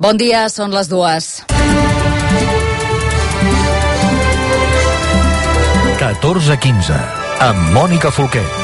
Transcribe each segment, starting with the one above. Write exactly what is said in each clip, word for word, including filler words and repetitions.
Bon dia, són les dues. catorze quinze, amb Mònica Folquet.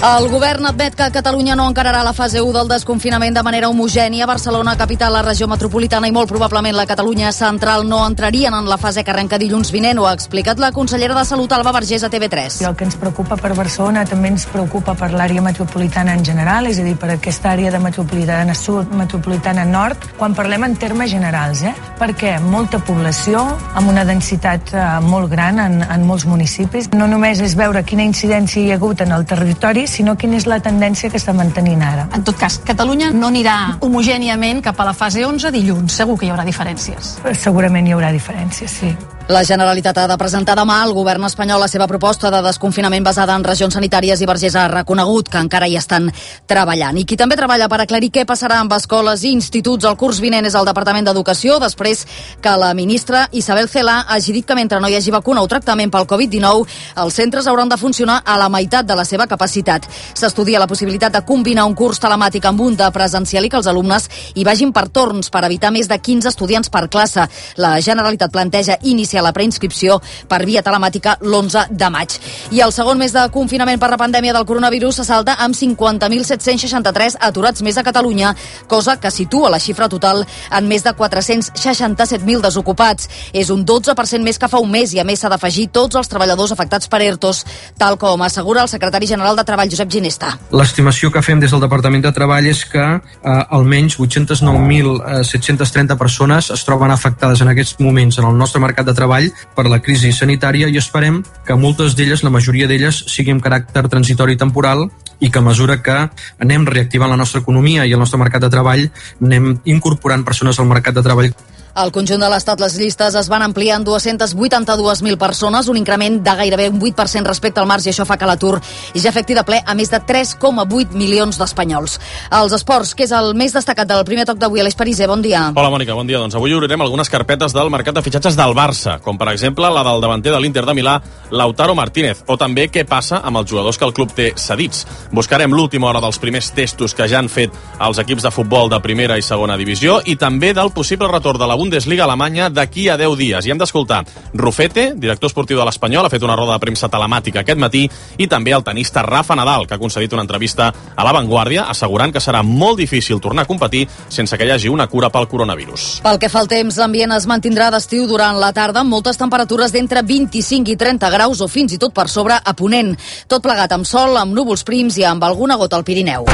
El govern admet que Catalunya no encararà la fase u del desconfinament de manera homogènia. Barcelona, capital, la regió metropolitana i molt probablement la Catalunya central no entrarien en la fase que arrenca dilluns vinent. Ho ha explicat la consellera de Salut, Alba Vergés, a T V tres. El que ens preocupa per Barcelona també ens preocupa per l'àrea metropolitana en general, és a dir, per aquesta àrea de metropolitana sud, metropolitana nord, quan parlem en termes generals, eh? Perquè molta població, amb una densitat eh, molt gran en, en molts municipis. No només és veure quina incidència hi ha hagut en el territori, sinó quina és la tendència que està mantenint ara. En tot cas, Catalunya no anirà homogèniament cap a la fase onze dilluns. Segur que hi haurà diferències. Segurament hi haurà diferències, sí. La Generalitat ha de presentar demà al govern espanyol la seva proposta de desconfinament basada en regions sanitàries i Vergés ha reconegut que encara hi estan treballant. I qui també treballa per aclarir què passarà amb escoles i instituts el curs vinent és el Departament d'Educació, després que la ministra Isabel Celaá hagi dit que mentre no hi hagi vacuna o tractament pel covid dinou, els centres hauran de funcionar a la meitat de la seva capacitat. S'estudia la possibilitat de combinar un curs telemàtic amb un de presencial i que els alumnes hi vagin per torns per evitar més de quinze estudiants per classe. La Generalitat planteja iniciar la preinscripció per via telemàtica l'onze de maig. I el segon mes de confinament per la pandèmia del coronavirus se salda amb cinquanta mil set-cents seixanta-tres aturats més a Catalunya, cosa que situa la xifra total en més de quatre-cents seixanta-set mil desocupats. És un dotze per cent més que fa un mes i a més s'ha d'afegir tots els treballadors afectats per ERTOs, tal com assegura el secretari general de Treball, Josep Ginesta. L'estimació que fem des del Departament de Treball és que eh, almenys vuit-cents nou mil set-cents trenta persones es troben afectades en aquests moments en el nostre mercat de treball per la crisi sanitària i esperem que moltes d'elles, la majoria d'elles, siguin amb caràcter transitori i temporal i que a mesura que anem reactivant la nostra economia i el nostre mercat de treball anem incorporant persones al mercat de treball. Al conjunt de l'Estat les llistes es van ampliar en dues-centes vuitanta-dues mil persones, un increment de gairebé un vuit per cent respecte al març i això fa que l'atur ja afecti de ple a més de tres coma vuit milions d'espanyols. Els esports, que és el més destacat del primer toc d'avui. Aleix Pariser, bon dia. Hola, Mònica, bon dia. Doncs avui obrirem algunes carpetes del mercat de fitxatges del Barça, com per exemple la del davanter de l'Inter de Milà, Lautaro Martínez, o també què passa amb els jugadors que el club té cedits. Buscarem l'última hora dels primers testos que ja han fet els equips de futbol de primera i segona divisió i també del possible retorn de la Bundesliga alemanya d'aquí a deu dies. I hem d'escoltar Rufete, director esportiu de l'Espanyol, ha fet una roda de premsa telemàtica aquest matí, i també el tenista Rafa Nadal, que ha concedit una entrevista a La Vanguardia assegurant que serà molt difícil tornar a competir sense que hi hagi una cura pel coronavirus. Pel que fa al temps, l'ambient es mantindrà d'estiu durant la tarda amb moltes temperatures d'entre vint-i-cinc i trenta graus o fins i tot per sobre a Ponent. Tot plegat amb sol, amb núvols prims i amb alguna gota al Pirineu.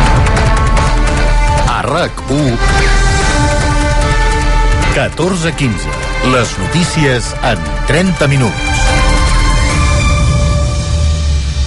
A RAC u catorze quinze. Les notícies en trenta minuts.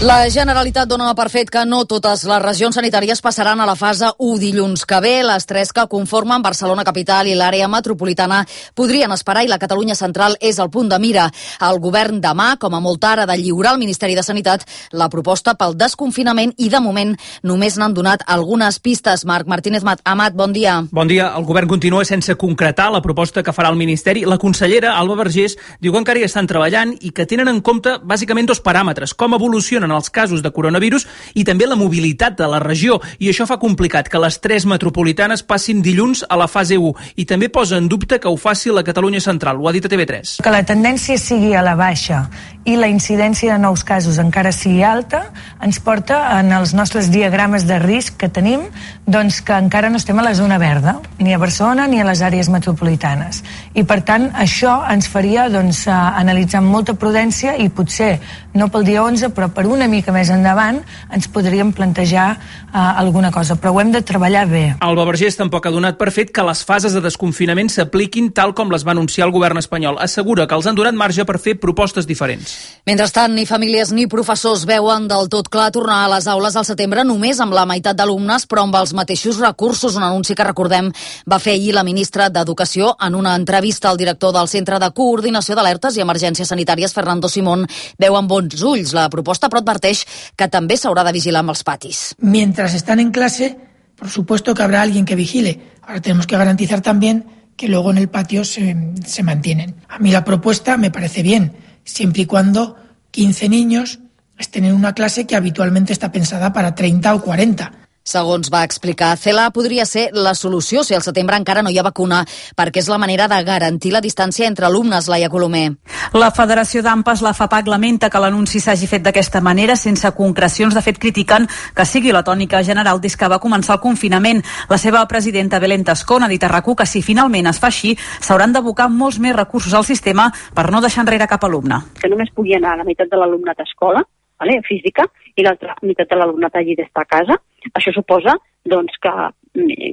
La Generalitat dona per fet que no totes les regions sanitàries passaran a la fase u dilluns que ve. Les tres que conformen Barcelona capital i l'àrea metropolitana podrien esperar i la Catalunya central és el punt de mira. El govern demà, com a molt tard, ha de lliurar al Ministeri de Sanitat la proposta pel desconfinament i de moment només n'han donat algunes pistes. Marc Martínez Amat, bon dia. Bon dia. El govern continua sense concretar la proposta que farà el Ministeri. La consellera Alba Vergés diu que encara hi estan treballant i que tenen en compte bàsicament dos paràmetres: com evolucionen els casos de coronavirus i també la mobilitat de la regió, i això fa complicat que les tres metropolitanes passin dilluns a la fase u, i també posa en dubte que ho faci la Catalunya central. Ho ha dit a T V tres. Que la tendència sigui a la baixa i la incidència de nous casos encara sigui alta, ens porta en els nostres diagrames de risc que tenim, doncs que encara no estem a la zona verda, ni a Barcelona ni a les àrees metropolitanes. I per tant, això ens faria doncs, analitzar amb molta prudència i potser, no pel dia onze, però per una mica més endavant, ens podríem plantejar uh, alguna cosa, però ho hem de treballar bé. Alba Vergés tampoc ha donat per fet que les fases de desconfinament s'apliquin tal com les va anunciar el govern espanyol. Assegura que els han donat marge per fer propostes diferents. Mentrestant, ni famílies ni professors veuen del tot clar tornar a les aules al setembre només amb la meitat d'alumnes, però amb els mateixos recursos, un anunci que, recordem, va fer ahir la ministra d'Educació en una entrevista al director del Centre de Coordinació d'Alertes i Emergències Sanitàries, Fernando Simón, veu amb bons ulls la proposta, però adverteix que també s'haurà de vigilar amb els patis. Mientras están en clase, por supuesto que habrá alguien que vigile. Ahora tenemos que garantizar también que luego en el patio se, se mantienen. A mí la propuesta me parece bien, siempre y cuando quince niños estén en una clase que habitualmente está pensada para treinta o cuarenta. Segons va explicar Cela, podria ser la solució si al setembre encara no hi ha vacuna, perquè és la manera de garantir la distància entre alumnes, Laia Colomer. La Federació d'Ampas, la FAPAC, lamenta que l'anunci s'hagi fet d'aquesta manera, sense concrecions. De fet, critiquen que sigui la tònica general des que va començar el confinament. La seva presidenta, Belén Tascón, ha dit a RAC u que si finalment es fa així, s'hauran d'abocar molts més recursos al sistema per no deixar enrere cap alumne. Que només pugui anar la meitat de l'alumnat a escola, vale, física, i l'altra meitat de l'alumnat hagi d'estar a casa. Això suposa doncs, que,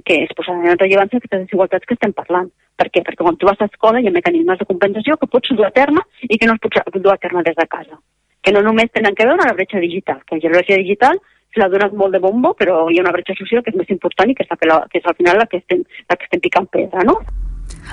que es posaran en rellevància aquestes desigualtats que estem parlant. Per què? Perquè quan tu vas a escola hi ha mecanismes de compensació que pots dur a terme i que no es pots dur a terme des de casa. Que no només tenen que veure amb la bretxa digital, que la bretxa digital se l'ha donat molt de bombo, però hi ha una bretxa social que és més important i que és, la, que és al final la que estem, la que estem picant pedra, no?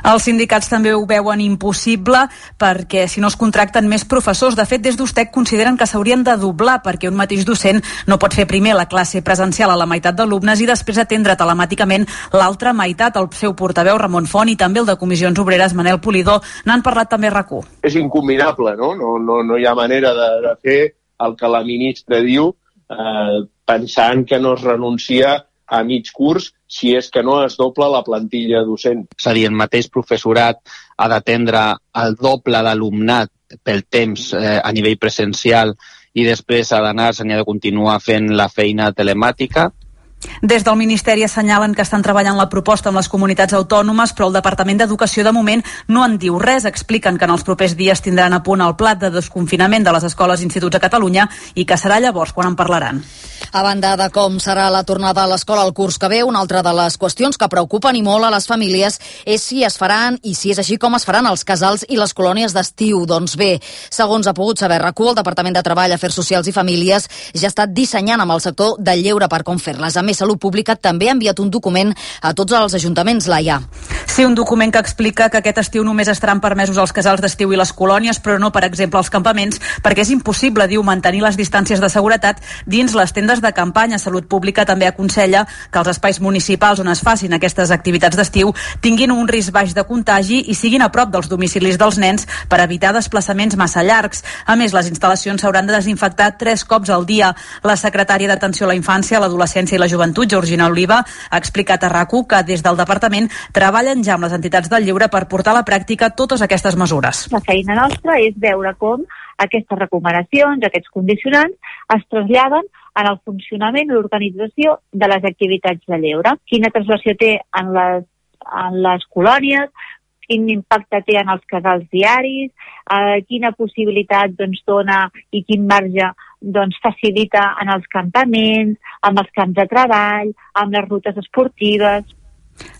Els sindicats també ho veuen impossible perquè si no es contracten més professors. De fet, des d'Ustec consideren que s'haurien de doblar perquè un mateix docent no pot fer primer la classe presencial a la meitat d'alumnes i després atendre telemàticament l'altra meitat. El seu portaveu, Ramon Font, i també el de Comissions Obreres, Manel Polidor, n'han parlat també a RAC u. És incombinable, no? No, no, no hi ha manera de, de fer el que la ministra diu eh, pensant que no es renuncia a mig curs si és que no es dobla la plantilla docent. És a dir, el mateix professorat ha d'atendre el doble d'alumnat pel temps eh, a nivell presencial i després ha d'anar, se n'hi ha de continuar fent la feina telemàtica. Des del Ministeri assenyalen que estan treballant la proposta amb les comunitats autònomes, però el Departament d'Educació de moment no en diu res. Expliquen que en els propers dies tindran a punt el pla de desconfinament de les escoles i instituts a Catalunya i que serà llavors quan en parlaran. A banda de com serà la tornada a l'escola el curs que ve, una altra de les qüestions que preocupen i molt a les famílies és si es faran, i si és així, com es faran els casals i les colònies d'estiu. Doncs bé, segons ha pogut saber RAC u, el Departament de Treball, Afers Socials i Famílies ja ha estat dissenyant amb el sector del lleure per com fer-les. A més, Salut Pública també ha enviat un document a tots els ajuntaments, Laia. Sí, un document que explica que aquest estiu només estaran permesos els casals d'estiu i les colònies, però no, per exemple, els campaments, perquè és impossible, diu, mantenir les distàncies de seguretat dins les tendes de campanya. Salut Pública també aconsella que els espais municipals on es facin aquestes activitats d'estiu tinguin un risc baix de contagi i siguin a prop dels domicilis dels nens per evitar desplaçaments massa llargs. A més, les instal·lacions s'hauran de desinfectar tres cops al dia. La secretària d'Atenció a la Infància, l'Adolescència i la Joventut, Georgina Oliva, ha explicat a RAC u que des del departament treballen ja amb les entitats del lleure per portar a la pràctica totes aquestes mesures. La feina nostra és veure com aquestes recomanacions, aquests condicionants, es traslladen en el funcionament i l'organització de les activitats de lleure. Quina translació té en les, en les colònies, quin impacte té en els casals diaris, eh, quina possibilitat doncs, dona i quin marge doncs, facilita en els campaments, amb els camps de treball, amb les rutes esportives.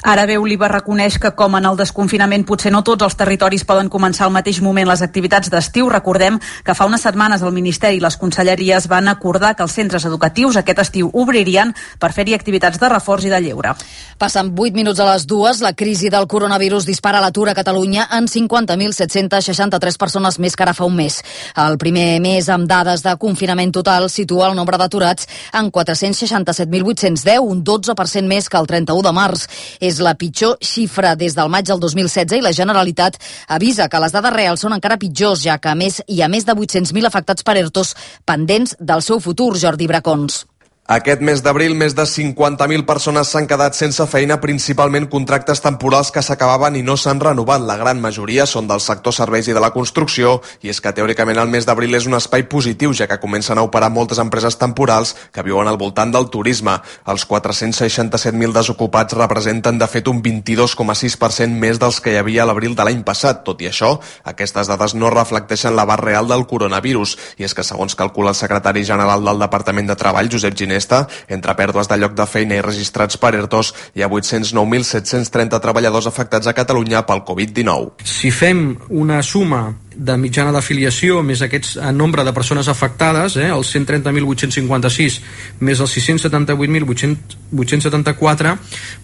Ara bé, Oliva reconeix que, com en el desconfinament, potser no tots els territoris poden començar al mateix moment les activitats d'estiu. Recordem que fa unes setmanes el Ministeri i les conselleries van acordar que els centres educatius aquest estiu obririen per fer-hi activitats de reforç i de lleure. Passen vuit minuts a les dues. La crisi del coronavirus dispara l'atur a Catalunya en cinquanta mil set-cents seixanta-tres persones més que ara fa un mes. El primer mes amb dades de confinament total situa el nombre d'aturats en quatre-cents seixanta-set mil vuit-cents deu, un dotze per cent més que el trenta-u de març. És la pitjor xifra des del maig del dos mil setze i la Generalitat avisa que les dades reals són encara pitjors, ja que a més hi ha més de vuit-cents mil afectats per ERTOs pendents del seu futur. Jordi Bracons. Aquest mes d'abril, més de cinquanta mil persones s'han quedat sense feina, principalment contractes temporals que s'acabaven i no s'han renovat. La gran majoria són del sector serveis i de la construcció, i és que teòricament el mes d'abril és un espai positiu, ja que comencen a operar moltes empreses temporals que viuen al voltant del turisme. Els quatre-cents seixanta-set mil desocupats representen de fet un vint-i-dos coma sis per cent més dels que hi havia a l'abril de l'any passat. Tot i això, aquestes dades no reflecteixen l'abast real del coronavirus, i és que segons calcula el secretari general del Departament de Treball, Josep Giner, entre pèrdues de lloc de feina i registrats per ERTOs, hi ha vuit-cents nou mil set-cents trenta treballadors afectats a Catalunya pel covid dinou. Si fem una suma de mitjana d'afiliació més aquest nombre de persones afectades, eh, els cent trenta mil vuit-cents cinquanta-sis més els sis-cents setanta-vuit mil vuit-cents setanta-quatre,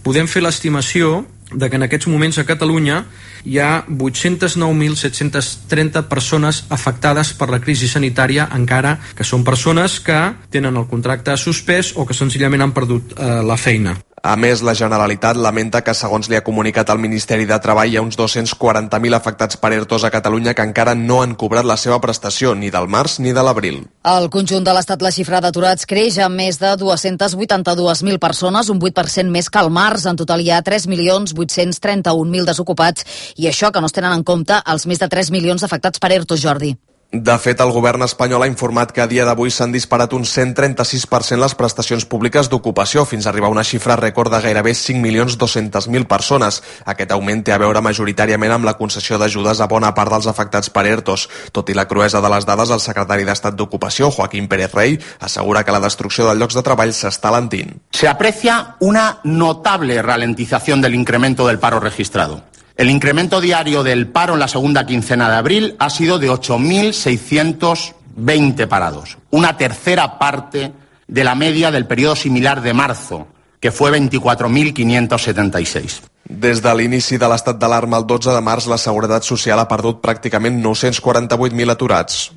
podem fer l'estimació de que en aquests moments a Catalunya hi ha vuit-cents nou mil set-cents trenta persones afectades per la crisi sanitària, encara que són persones que tenen el contracte suspès o que senzillament han perdut eh, la feina. A més, la Generalitat lamenta que, segons li ha comunicat el Ministeri de Treball, hi ha uns dos-cents quaranta mil afectats per ERTOs a Catalunya que encara no han cobrat la seva prestació, ni del març ni de l'abril. Al conjunt de l'Estat la xifra d'aturats creix amb més de dues-centes vuitanta-dues mil persones, un vuit per cent més que al març. En total hi ha tres milions vuit-cents trenta-un mil desocupats i això que no es tenen en compte els més de tres milions afectats per ERTO, Jordi. De fet, el govern espanyol ha informat que a dia d'avui s'han disparat un cent trenta-sis per cent les prestacions públiques d'ocupació, fins a arribar a una xifra rècord de gairebé cinc milions dos-centes mil persones. Aquest augment té a veure majoritàriament amb la concessió d'ajudes a bona part dels afectats per ERTOs. Tot i la cruesa de les dades, el secretari d'Estat d'Ocupació, Joaquín Pérez Rey, assegura que la destrucció de llocs de treball s'està alentint. Se aprecia una notable ralentización del incremento del paro registrado. El incremento diario del paro en la segunda quincena de abril ha sido de ocho mil seiscientos veinte parados, una tercera parte de la media del periodo similar de marzo, que fue veinticuatro mil quinientos setenta y seis. Des de l'inici de l'estat d'alarma el dotze de març, la Seguretat Social ha perdut pràcticament nou-cents quaranta-vuit mil aturats.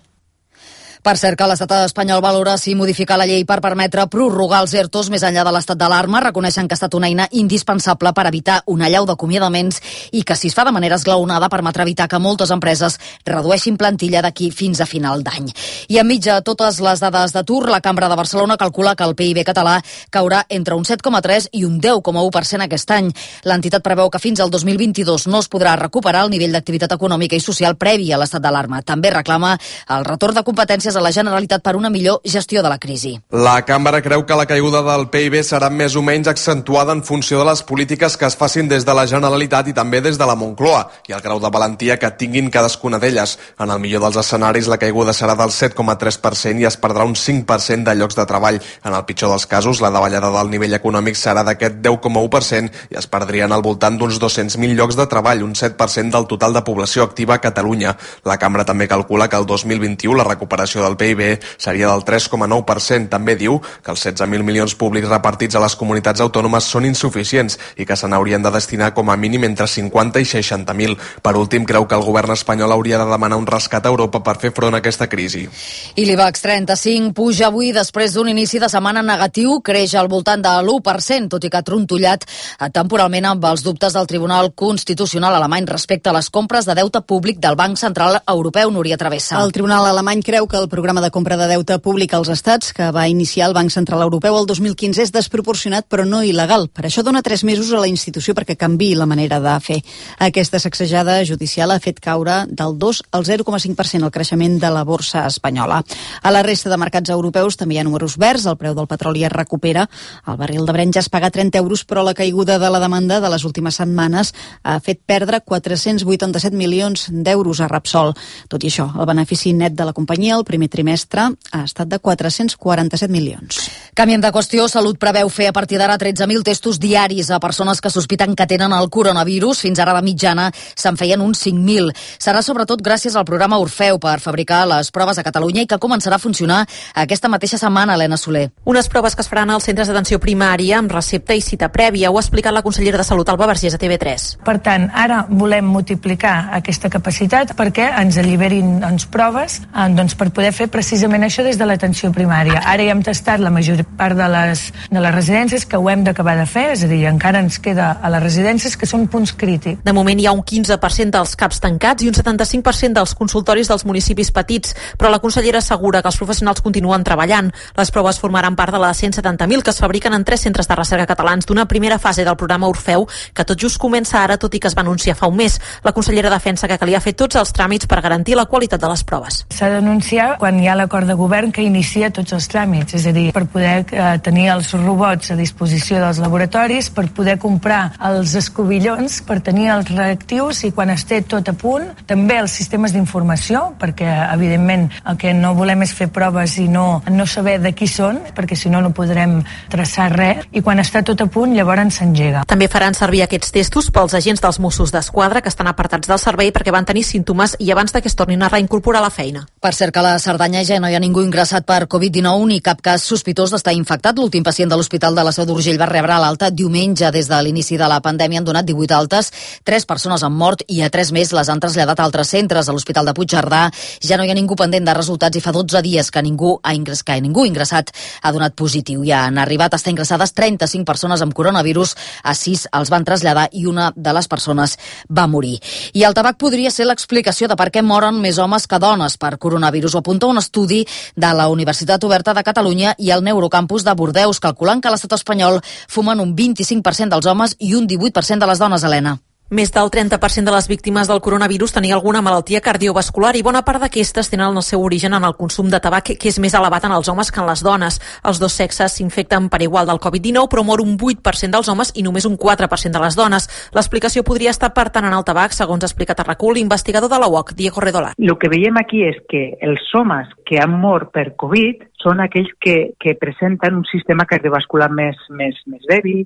Per cert, que l'estat espanyol valora si modificar la llei per permetre prorrogar els ERTOs més enllà de l'estat d'alarma. Reconeixen que ha estat una eina indispensable per evitar una allau d'acomiadaments i que, si es fa de manera esglaonada, permetrà evitar que moltes empreses redueixin plantilla d'aquí fins a final d'any. I enmig de totes les dades d'atur, la Cambra de Barcelona calcula que el P I B català caurà entre un set coma tres i un deu coma u per cent aquest any. L'entitat preveu que fins al dos mil vint-i-dos no es podrà recuperar el nivell d'activitat econòmica i social previ a l'estat d'alarma. També reclama el retorn de competències a la Generalitat per una millor gestió de la crisi. La Cambra creu que la caiguda del P I B serà més o menys accentuada en funció de les polítiques que es facin des de la Generalitat i també des de la Moncloa i el grau de valentia que tinguin cadascuna d'elles. En el millor dels escenaris, la caiguda serà del set coma tres per cent i es perdrà un cinc per cent de llocs de treball. En el pitjor dels casos, la davallada del nivell econòmic serà d'aquest deu coma u per cent i es perdrien al voltant d'uns dos-cents mil llocs de treball, un set per cent del total de població activa a Catalunya. La Cambra també calcula que el dos mil vint-i-u la recuperació del P I B seria del tres coma nou per cent. També diu que els setze mil milions públics repartits a les comunitats autònomes són insuficients i que se n'haurien de destinar com a mínim entre cinquanta i seixanta mil. Per últim, creu que el govern espanyol hauria de demanar un rescat a Europa per fer front a aquesta crisi. I l'IBEX trenta-cinc puja avui després d'un inici de setmana negatiu, creix al voltant de l'u per cent, tot i que ha trontollat temporalment amb els dubtes del Tribunal Constitucional alemany respecte a les compres de deute públic del Banc Central Europeu. Núria Travessa. El Tribunal alemany creu que el programa de compra de deute públic als estats que va iniciar el Banc Central Europeu el dos mil quinze és desproporcionat però no il·legal. Per això dona tres mesos a la institució perquè canviï la manera de fer. Aquesta sacsejada judicial ha fet caure del dos al zero coma cinc per cent el creixement de la borsa espanyola. A la resta de mercats europeus també hi ha números verds, el preu del petroli es recupera, el barril de Brent ja es paga trenta euros, però la caiguda de la demanda de les últimes setmanes ha fet perdre quatre-cents vuitanta-set milions d'euros a Repsol. Tot i això, el benefici net de la companyia el primer trimestre ha estat de quatre-cents quaranta-set milions. Canviem de qüestió. Salut preveu fer a partir d'ara tretze mil testos diaris a persones que sospiten que tenen el coronavirus. Fins ara de mitjana se'n feien uns cinc mil. Serà sobretot gràcies al programa Orfeu per fabricar les proves a Catalunya i que començarà a funcionar aquesta mateixa setmana, Helena Soler. Unes proves que es faran als centres d'atenció primària amb recepta i cita prèvia. Ho ha explicat la consellera de Salut, Alba Vergés, a T V tres. Per tant, ara volem multiplicar aquesta capacitat perquè ens alliberin doncs, proves eh, doncs, per poder fer precisament això des de l'atenció primària. Ara ja hem tastat la major part de les, de les residències que ho hem d'acabar de fer, és a dir, encara ens queda a les residències que són punts crítics. De moment hi ha un quinze per cent dels CAPs tancats i un setanta-cinc per cent dels consultoris dels municipis petits, però la consellera assegura que els professionals continuen treballant. Les proves formaran part de les cent setanta mil que es fabriquen en tres centres de recerca catalans d'una primera fase del programa Orfeu, que tot just comença ara, tot i que es va anunciar fa un mes. La consellera defensa que calia fer tots els tràmits per garantir la qualitat de les proves. S'ha d'anunciar quan hi ha l'acord de govern que inicia tots els tràmits, és a dir, per poder eh, tenir els robots a disposició dels laboratoris, per poder comprar els escobillons, per tenir els reactius i quan esté tot a punt, també els sistemes d'informació, perquè evidentment el que no volem és fer proves i no, no saber de qui són, perquè si no no podrem traçar res, i quan està tot a punt llavors s'engega. També faran servir aquests testos pels agents dels Mossos d'Esquadra que estan apartats del servei perquè van tenir símptomes i abans de que es tornin a reincorporar a la feina. Per cert que la Cerdanya ja no hi ha ningú ingressat per covid dinou ni cap cas sospitós d'estar infectat. L'últim pacient de l'Hospital de la Seu d'Urgell va rebre l'alta diumenge. Des de l'inici de la pandèmia han donat divuit altes, tres persones han mort i a tres més les han traslladat a altres centres. A l'Hospital de Puigcerdà ja no hi ha ningú pendent de resultats i fa dotze dies que ningú ha ingressat, que ningú ingressat ha donat positiu. Ja han arribat a estar ingressades trenta-cinc persones amb coronavirus, a sis els van traslladar i una de les persones va morir. I el tabac podria ser l'explicació de per què moren més homes que dones per coronavirus. Ho apunta un estudi de la Universitat Oberta de Catalunya i el Neurocampus de Bordeus, calculant que a l'estat espanyol fumen un vint-i-cinc per cent dels homes i un divuit per cent de les dones, Helena. Més del trenta per cent de les víctimes del coronavirus tenia alguna malaltia cardiovascular i bona part d'aquestes tenen el seu origen en el consum de tabac, que és més elevat en els homes que en les dones. Els dos sexes s'infecten per igual del covid dinou, però mor un vuit per cent dels homes i només un quatre per cent de les dones. L'explicació podria estar, per tant, en el tabac, segons ha explicat a RAC-U l'investigador de la U O C, Diego Redolar. Lo que veiem aquí és que els homes que han mort per Covid són aquells que, que presenten un sistema cardiovascular més, més, més dèbil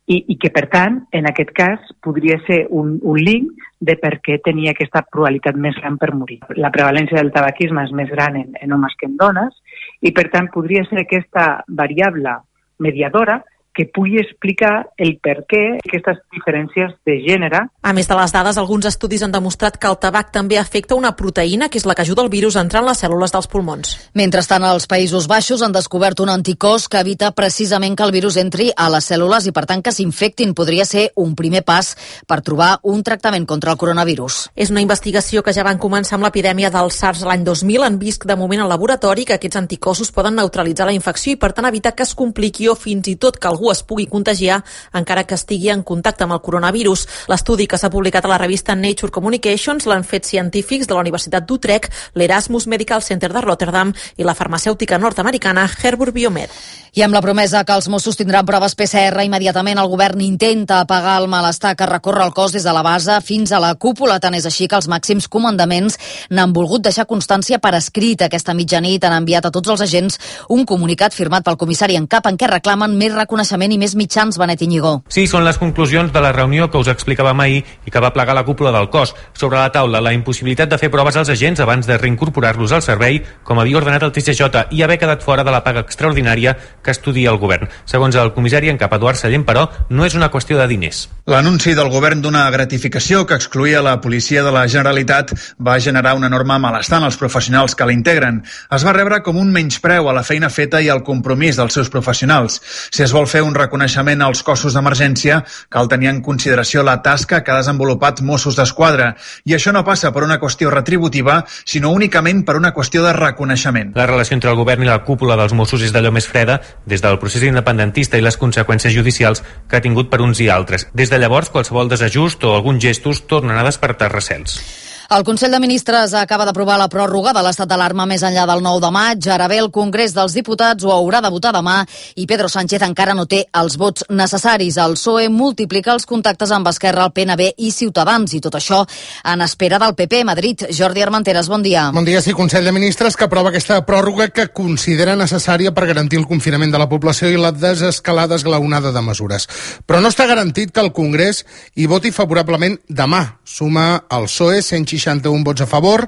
i, i que, per tant, en aquest cas, podria ser un, un link de per què tenia aquesta probabilitat més gran per morir. La prevalència del tabaquisme és més gran en, en homes que en dones i, per tant, podria ser aquesta variable mediadora que pugui explicar el per què aquestes diferències de gènere. A més de les dades, alguns estudis han demostrat que el tabac també afecta una proteïna, que és la que ajuda el virus a entrar en les cèl·lules dels pulmons. Mentrestant, als Països Baixos han descobert un anticòs que evita precisament que el virus entri a les cèl·lules i, per tant, que s'infectin. Podria ser un primer pas per trobar un tractament contra el coronavirus. És una investigació que ja van començar amb l'epidèmia del SARS l'any dos mil. Han vist de moment al laboratori que aquests anticossos poden neutralitzar la infecció i, per tant, evitar que es compliqui o fins i tot que algú es pugui contagiar encara que estigui en contacte amb el coronavirus. L'estudi que s'ha publicat a la revista Nature Communications l'han fet científics de la Universitat d'Utrecht, l'Erasmus Medical Center de Rotterdam i la farmacèutica nord-americana Herber Biomed. I amb la promesa que els Mossos tindran proves P C R, immediatament el govern intenta apagar el malestar que recorre el cos des de la base fins a la cúpula. Tant és així que els màxims comandaments n'han volgut deixar constància per escrit. Aquesta mitjanit han enviat a tots els agents un comunicat firmat pel comissari en cap en què reclamen més reconeixement i més mitjans. Benet Iñigó. Sí, són les conclusions de la reunió que us explicàvem ahir i que va plegar la cúpula del cos. Sobre la taula, la impossibilitat de fer proves als agents abans de reincorporar-los al servei, com havia ordenat el T S J, i haver quedat fora de la paga extraordinària que estudia el govern. Segons el comissari en cap Eduard Sallent, però, no és una qüestió de diners. L'anunci del govern d'una gratificació que excluïa la policia de la Generalitat va generar un enorme malestar en els professionals que la integren. Es va rebre com un menyspreu a la feina feta i al compromís dels seus professionals. Si es vol fer un reconeixement als cossos d'emergència, cal tenir en consideració la tasca que ha desenvolupat Mossos d'Esquadra. I això no passa per una qüestió retributiva, sinó únicament per una qüestió de reconeixement. La relació entre el govern i la cúpula dels Mossos és d'allò més freda des del procés independentista i les conseqüències judicials que ha tingut per uns i altres. Des de llavors, qualsevol desajust o alguns gestos tornen a despertar recels. El Consell de Ministres acaba d'aprovar la pròrroga de l'estat d'alarma més enllà del nou de maig. Ara bé, el Congrés dels Diputats ho haurà de votar demà i Pedro Sánchez encara no té els vots necessaris. El P S O E multiplica els contactes amb Esquerra, el P N B i Ciutadans, i tot això en espera del P P. Madrid, Jordi Armenteres, bon dia. Bon dia, sí, Consell de Ministres que aprova aquesta pròrroga que considera necessària per garantir el confinament de la població i la desescalada esglaonada de mesures. Però no està garantit que el Congrés hi voti favorablement demà. Suma el P S O E cent seixanta-un vots a favor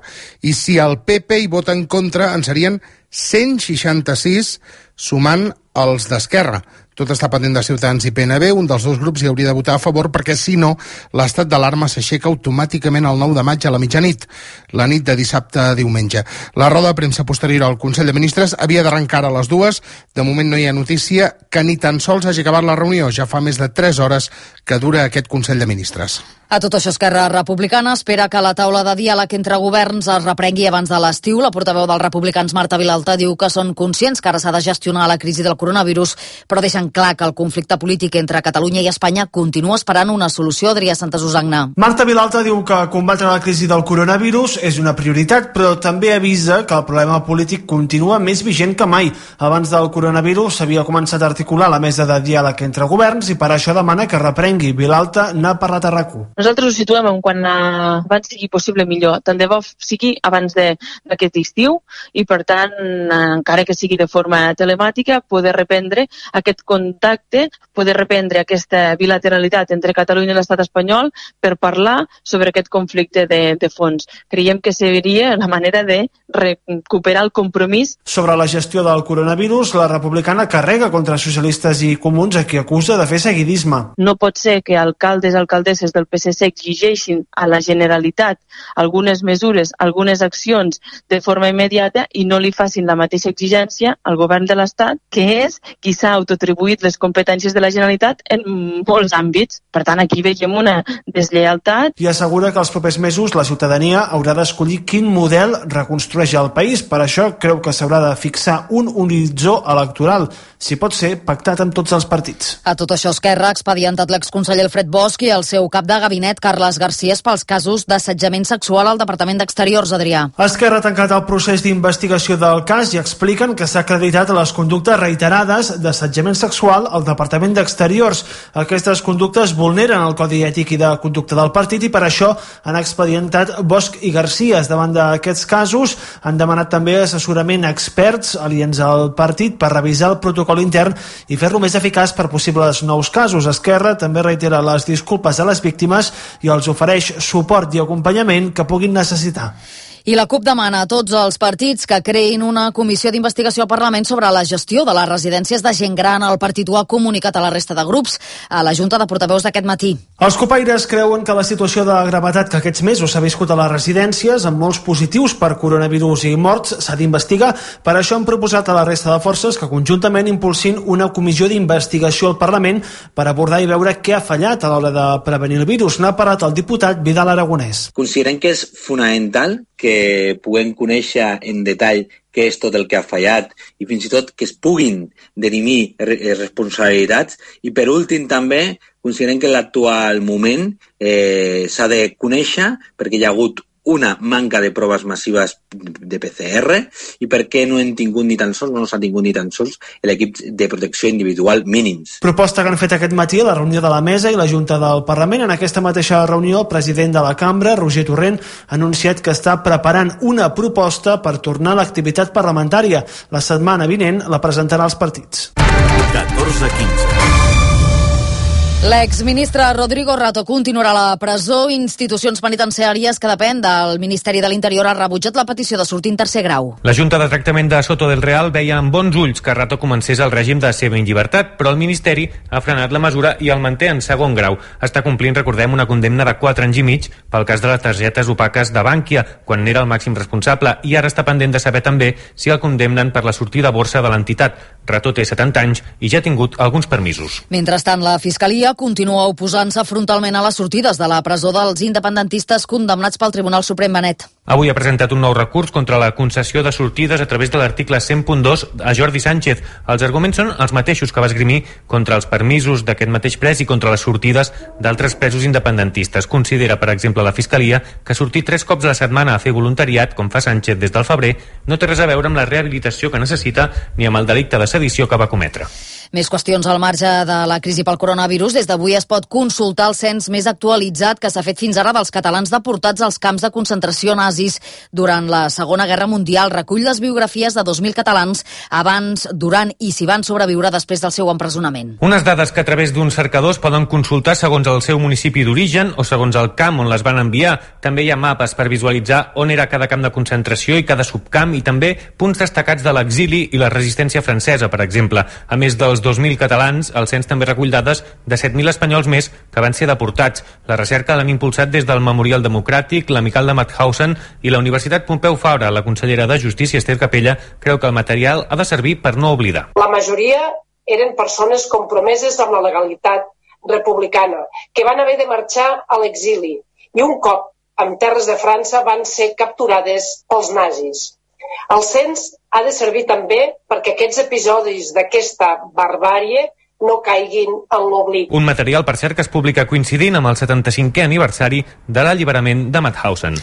i si el P P hi vota en contra en serien cent seixanta-sis sumant els d'Esquerra. Tot està pendent de Ciutadans i P N B, un dels dos grups hi hauria de votar a favor perquè, si no, l'estat d'alarma s'aixeca automàticament el nou de maig a la mitjanit, la nit de dissabte a diumenge. La roda de premsa posterior al Consell de Ministres havia d'arrencar a les dues. De moment no hi ha notícia que ni tan sols hagi acabat la reunió. Ja fa més de tres hores que dura aquest Consell de Ministres. A tot això, Esquerra Republicana espera que la taula de diàleg entre governs es reprengui abans de l'estiu. La portaveu dels republicans, Marta Vilalta, diu que són conscients que ara s'ha de gestionar la crisi del coronavirus, però deixen clar que el conflicte polític entre Catalunya i Espanya continua esperant una solució. Adrià Santasusagna. Marta Vilalta diu que combatre la crisi del coronavirus és una prioritat, però també avisa que el problema polític continua més vigent que mai. Abans del coronavirus s'havia començat a articular la mesa de diàleg entre governs i per això demana que reprengui. Vilalta n'ha parlat a RAC-U. Nosaltres ho situem en quan uh, abans sigui possible millor. Tant de bo sigui abans d'aquest estiu i, per tant, uh, encara que sigui de forma telemàtica, poder reprendre aquest contacte, poder reprendre aquesta bilateralitat entre Catalunya i l'estat espanyol per parlar sobre aquest conflicte de, de fons. Creiem que seria la manera de recuperar el compromís. Sobre la gestió del coronavirus, la republicana carrega contra socialistes i comuns a qui acusa de fer seguidisme. No pot ser que alcaldes i alcaldesses del P S C exigeixin a la Generalitat algunes mesures, algunes accions de forma immediata i no li facin la mateixa exigència al govern de l'Estat, que és qui s'ha autoatribuït les competències de la Generalitat en molts àmbits. Per tant, aquí veiem una deslleialtat. I assegura que els propers mesos la ciutadania haurà d'escollir quin model reconstrueix el país. Per això creu que s'haurà de fixar un horitzó electoral, si pot ser pactat amb tots els partits. A tot això, Esquerra ha expedientat l'exconseller Alfred Bosch i el seu cap de gabinet, Carles Garcés, pels casos d'assetjament sexual al Departament d'Exteriors, Adrià. Esquerra ha tancat el procés d'investigació del cas i expliquen que s'ha acreditat les conductes reiterades d'assetjament sexual al Departament d'Exteriors. Aquestes conductes vulneren el Codi Ètic i de Conducta del partit i per això han expedientat Bosch i García. Davant d'aquests casos han demanat també assessorament a experts aliens al partit per revisar el protocol intern i fer-lo més eficaç per possibles nous casos. Esquerra també reitera les disculpes a les víctimes i els ofereix suport i acompanyament que puguin necessitar. I la CUP demana a tots els partits que creïn una comissió d'investigació al Parlament sobre la gestió de les residències de gent gran. El partit ho ha comunicat a la resta de grups a la Junta de Portaveus d'aquest matí. Els copaires creuen que la situació de gravetat que aquests mesos s'ha viscut a les residències, amb molts positius per coronavirus i morts, s'ha d'investigar. Per això han proposat a la resta de forces que conjuntament impulsin una comissió d'investigació al Parlament per abordar i veure què ha fallat a l'hora de prevenir el virus. N'ha parlat el diputat Vidal Aragonès. Considerem que és fonamental que puguem conèixer en detall què és tot el que ha fallat i fins i tot que es puguin dirimir responsabilitats. I per últim també considerem que en l'actual moment eh, s'ha de conèixer perquè hi ha hagut una manca de proves massives de P C R i perquè no hem tingut ni tan sols, no s'ha tingut ni tan sols l'equip de protecció individual mínims. Proposta que han fet aquest matí a la reunió de la Mesa i la Junta del Parlament. En aquesta mateixa reunió, el president de la Cambra, Roger Torrent, ha anunciat que està preparant una proposta per tornar a l'activitat parlamentària. La setmana vinent la presentarà als partits. catorze quinze. L'exministre Rodrigo Rato continuarà a la presó. Institucions penitenciàries que depèn del Ministeri de l'Interior ha rebutjat la petició de sortir en tercer grau. La Junta de Tractament de Soto del Real veia amb bons ulls que Rato comencés el règim de semi-llibertat, però el Ministeri ha frenat la mesura i el manté en segon grau. Està complint, recordem, una condemna de quatre anys i mig pel cas de les targetes opaques de Bànquia, quan n'era el màxim responsable, i ara està pendent de saber també si el condemnen per la sortida a borsa de l'entitat. Rato té setanta anys i ja ha tingut alguns permisos. Mentrestant, la Fiscalia continua oposant-se frontalment a les sortides de la presó dels independentistes condemnats pel Tribunal Suprem. Benet. Avui ha presentat un nou recurs contra la concessió de sortides a través de l'article cent punt dos a Jordi Sánchez. Els arguments són els mateixos que va esgrimir contra els permisos d'aquest mateix pres i contra les sortides d'altres presos independentistes. Considera, per exemple, la Fiscalia que sortir tres cops a la setmana a fer voluntariat, com fa Sánchez des del febrer, no té res a veure amb la rehabilitació que necessita ni amb el delicte de sedició que va cometre. Més qüestions al marge de la crisi pel coronavirus. Des d'avui es pot consultar el cens més actualitzat que s'ha fet fins ara dels catalans deportats als camps de concentració nazis durant la Segona Guerra Mundial. Recull les biografies de dos mil catalans abans, durant i si van sobreviure després del seu empresonament. Unes dades que a través d'uns cercadors poden consultar segons el seu municipi d'origen o segons el camp on les van enviar. També hi ha mapes per visualitzar on era cada camp de concentració i cada subcamp i també punts destacats de l'exili i la resistència francesa, per exemple. A més dels dos mil catalans, el cens també recull dades de set mil espanyols més que van ser deportats. La recerca l'han impulsat des del Memorial Democràtic, l'Amical de Mauthausen i la Universitat Pompeu Fabra. La consellera de Justícia, Esther Capella, creu que el material ha de servir per no oblidar. La majoria eren persones compromeses amb la legalitat republicana, que van haver de marxar a l'exili i un cop en terres de França van ser capturades pels nazis. El cens ha de servir també perquè aquests episodis d'aquesta barbàrie no caiguin en l'oblit. Un material, per cert, que es publica coincidint amb el setanta-cinquè aniversari de l'alliberament de Mauthausen.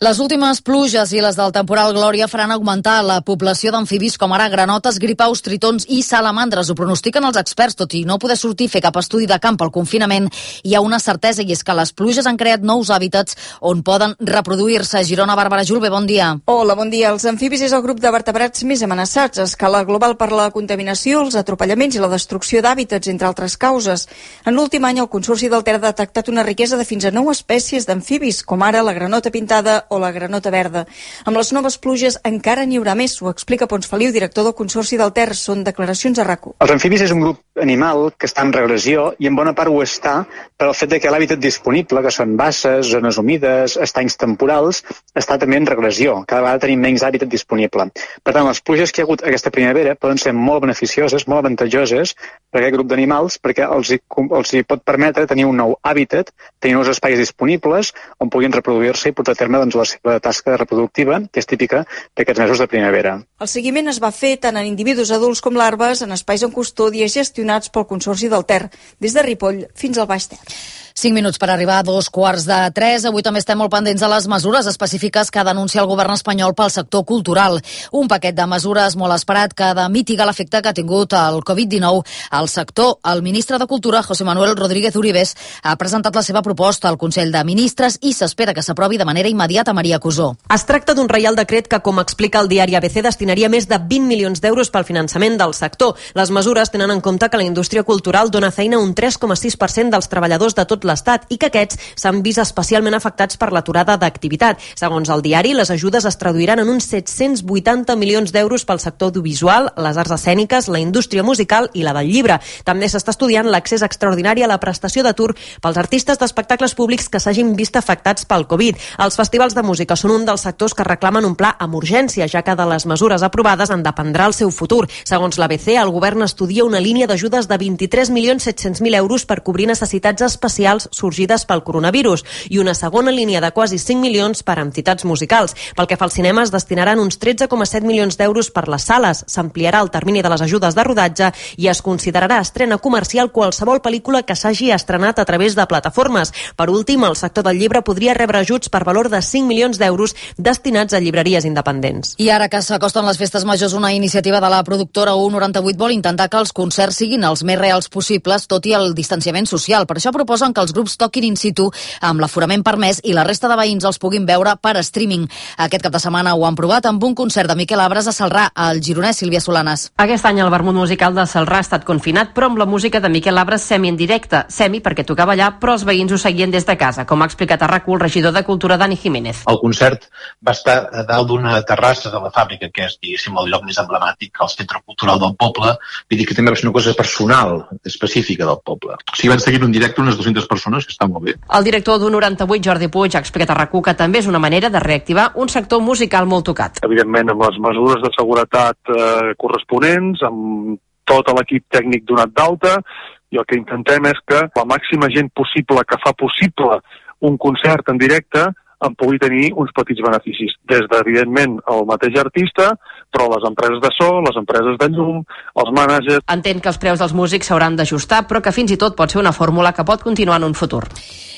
Les últimes pluges i les del temporal Glòria faran augmentar la població d'amfibis com ara granotes, gripaus, tritons i salamandres. Ho pronostiquen els experts, tot i no poder sortir a fer cap estudi de camp al confinament. Hi ha una certesa, i és que les pluges han creat nous hàbitats on poden reproduir-se. Girona, Bàrbara Julve, bon dia. Hola, bon dia. Els amfibis és el grup de vertebrats més amenaçats a escala global per la contaminació, els atropellaments i la destrucció d'hàbitats, entre altres causes. En l'últim any, el Consorci del Ter ha detectat una riquesa de fins a nou espècies d'amfibis, com ara la granota pintada o la granota verda. Amb les noves pluges encara n'hi haurà més, ho explica Pons Feliu, director del Consorci del Ter. Són declaracions a R A C U. Els amfibis és un grup animal que està en regressió i en bona part ho està per el fet de que l'hàbitat disponible, que són basses, zones humides, estanys temporals, està també en regressió. Cada vegada tenim menys hàbitat disponible. Per tant, les pluges que hi ha hagut aquesta primavera poden ser molt beneficioses, molt avantatjoses per aquest grup d'animals, perquè els hi, els hi pot permetre tenir un nou hàbitat, tenir nous espais disponibles on puguin reproduir-se i portar a terme doncs, la seva tasca reproductiva, que és típica d'aquests mesos de primavera. El seguiment es va fer tant en individus adults com larves en espais en custòdia gestionats pel Consorci del Ter, des de Ripoll fins al Baix Ter. Cinc minuts per arribar a dos quarts de tres. Avui també estem molt pendents de les mesures específiques que denuncia el govern espanyol pel sector cultural. Un paquet de mesures molt esperat que ha de mitigar l'efecte que ha tingut el covid dinou al sector. El ministre de Cultura, José Manuel Rodríguez Uribes, ha presentat la seva proposta al Consell de Ministres i s'espera que s'aprovi de manera immediata. Maria Cusó. Es tracta d'un reial decret que, com explica el diari A B C, destinaria més de vint milions d'euros pel finançament del sector. Les mesures tenen en compte que la indústria cultural dona feina a un tres coma sis per cent dels treballadors de tot l'Estat i que aquests s'han vist especialment afectats per l'aturada d'activitat. Segons el diari, les ajudes es traduiran en uns set-cents vuitanta milions d'euros pel sector audiovisual, les arts escèniques, la indústria musical i la del llibre. També s'està estudiant l'accés extraordinari a la prestació d'atur pels artistes d'espectacles públics que s'hagin vist afectats pel Covid. Els festivals de música són un dels sectors que reclamen un pla amb urgència, ja que de les mesures aprovades en dependrà el seu futur. Segons l'A B C, el govern estudia una línia d'ajudes de vint-i-tres milions set-cents mil euros per cobrir necessitats especials sorgides pel coronavirus i una segona línia de quasi cinc milions per a entitats musicals. Pel que fa al cinema, es destinaran uns tretze coma set milions d'euros per les sales. S'ampliarà el termini de les ajudes de rodatge i es considerarà estrena comercial qualsevol pel·lícula que s'hagi estrenat a través de plataformes. Per últim, el sector del llibre podria rebre ajuts per valor de cinc milions d'euros destinats a llibreries independents. I ara que s'acosten les festes majors, una iniciativa de la productora U noranta-vuit vol intentar que els concerts siguin els més reals possibles, tot i el distanciament social. Per això proposen que els grups toquin in situ amb l'aforament permès i la resta de veïns els puguin veure per streaming. Aquest cap de setmana ho han provat amb un concert de Miquel Abres a Celrà, al gironès Sílvia Solanes. Aquest any el vermut musical de Celrà ha estat confinat, però amb la música de Miquel Abres semi en directe. Semi perquè tocava allà, però els veïns ho seguien des de casa, com ha explicat a R A C U el regidor de Cultura Dani Jiménez. El concert va estar a dalt d'una terrassa de la fàbrica, que és, diguéssim, el lloc més emblemàtic, el centre cultural del poble. Vull dir que també va ser una cosa personal, específica del poble. O sigui, van seguir en directe unes dues-centes persones, que està molt bé. El director d'U noranta-vuit, Jordi Puig, ha explicat a R A C U que també és una manera de reactivar un sector musical molt tocat. Evidentment, amb les mesures de seguretat eh, corresponents, amb tot l'equip tècnic donat d'alta, i el que intentem és que la màxima gent possible que fa possible un concert en directe en pugui tenir uns petits beneficis. Des de, evidentment, el mateix artista, però les empreses de so, les empreses de llum, els mànagers... Entén que els preus dels músics s'hauran d'ajustar, però que fins i tot pot ser una fórmula que pot continuar en un futur.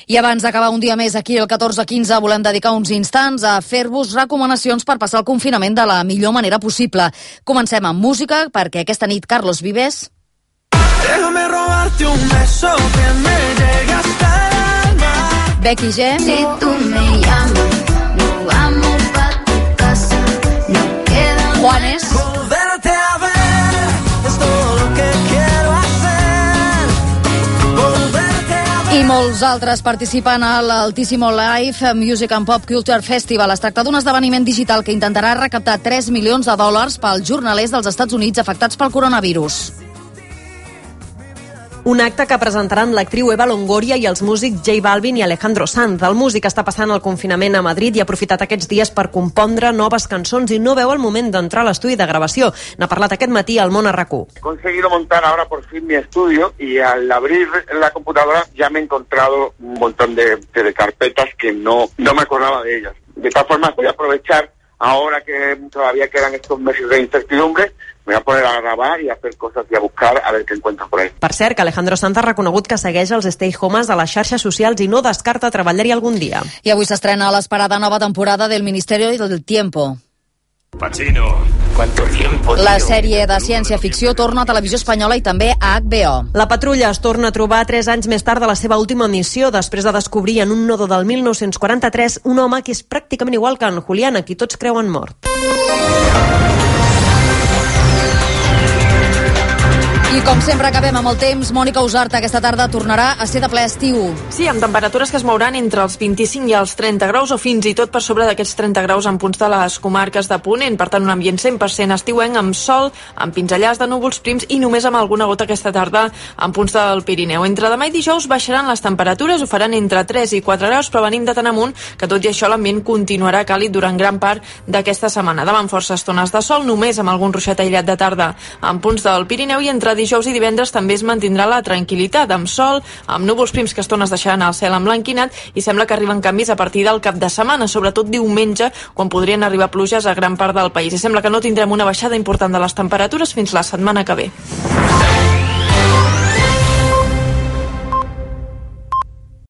I abans d'acabar un dia més aquí, el catorze quinze, volem dedicar uns instants a fer-vos recomanacions per passar el confinament de la millor manera possible. Comencem amb música, perquè aquesta nit Carlos Vives... Déjame robarte un beso que me llegue hasta el alma. Becky G. Si tú me llamas, nos vamos pa' tu casa. No queda Juanes. Volverte a ver es todo lo que quiero hacer. Volverte a ver. I molts altres participen a l'Altissimo Live Music and Pop Culture Festival. Es tracta d'un esdeveniment digital que intentarà recaptar tres milions de dòlars pels jornalers dels Estats Units afectats pel coronavirus. Un acte que presentaran l'actriu Eva Longoria i els músics J Balvin i Alejandro Sanz. El músic està passant el confinament a Madrid i ha aprofitat aquests dies per compondre noves cançons i no veu el moment d'entrar a l'estudi de gravació. N'ha parlat aquest matí al Món a R A C U. He conseguido montar ahora por fin mi estudio y al abrir la computadora ya me he encontrado un montón de, de carpetas que no, no me acordaba de ellas. De todas formas voy a aprovechar ahora que todavía quedan estos meses de incertidumbre, me voy a poner a grabar y a hacer cosas y a buscar a ver què encuentro por ahí. Per cert, que Alejandro Sanz ha reconegut que segueix els stay homes a les xarxes socials i no descarta treballar-hi algun dia. I avui s'estrena l'esperada nova temporada del Ministerio del Tiempo. Pacino, ¿cuánto tiempo? La sèrie de ciència-ficció torna a Televisió Espanyola i també a H B O. La Patrulla es torna a trobar tres anys més tard de la seva última missió, després de descobrir en un nodo del mil nou-cents quaranta-tres un home que és pràcticament igual que en Julián, a qui tots creuen mort. I com sempre acabem amb el temps, Mònica Usarta aquesta tarda tornarà a ser de ple estiu. Sí, amb temperatures que es mouran entre els vint-i-cinc i els trenta graus o fins i tot per sobre d'aquests trenta graus en punts de les comarques de Ponent. Per tant, un ambient cent per cent estiuenc amb sol, amb pinzellars de núvols prims i només amb alguna gota aquesta tarda en punts del Pirineu. Entre demà i dijous baixaran les temperatures, ho faran entre tres i quatre graus, però venim de tan amunt que tot i això l'ambient continuarà càlid durant gran part d'aquesta setmana. Demà amb forces estones de sol, només amb algun ruixat aïllat de tarda en punts del Pirineu, i entre dijous i divendres també es mantindrà la tranquil·litat, amb sol, amb núvols prims que estones deixaran el cel emblanquinat, i sembla que arriben canvis a partir del cap de setmana, sobretot diumenge, quan podrien arribar pluges a gran part del país. I sembla que no tindrem una baixada important de les temperatures fins la setmana que ve.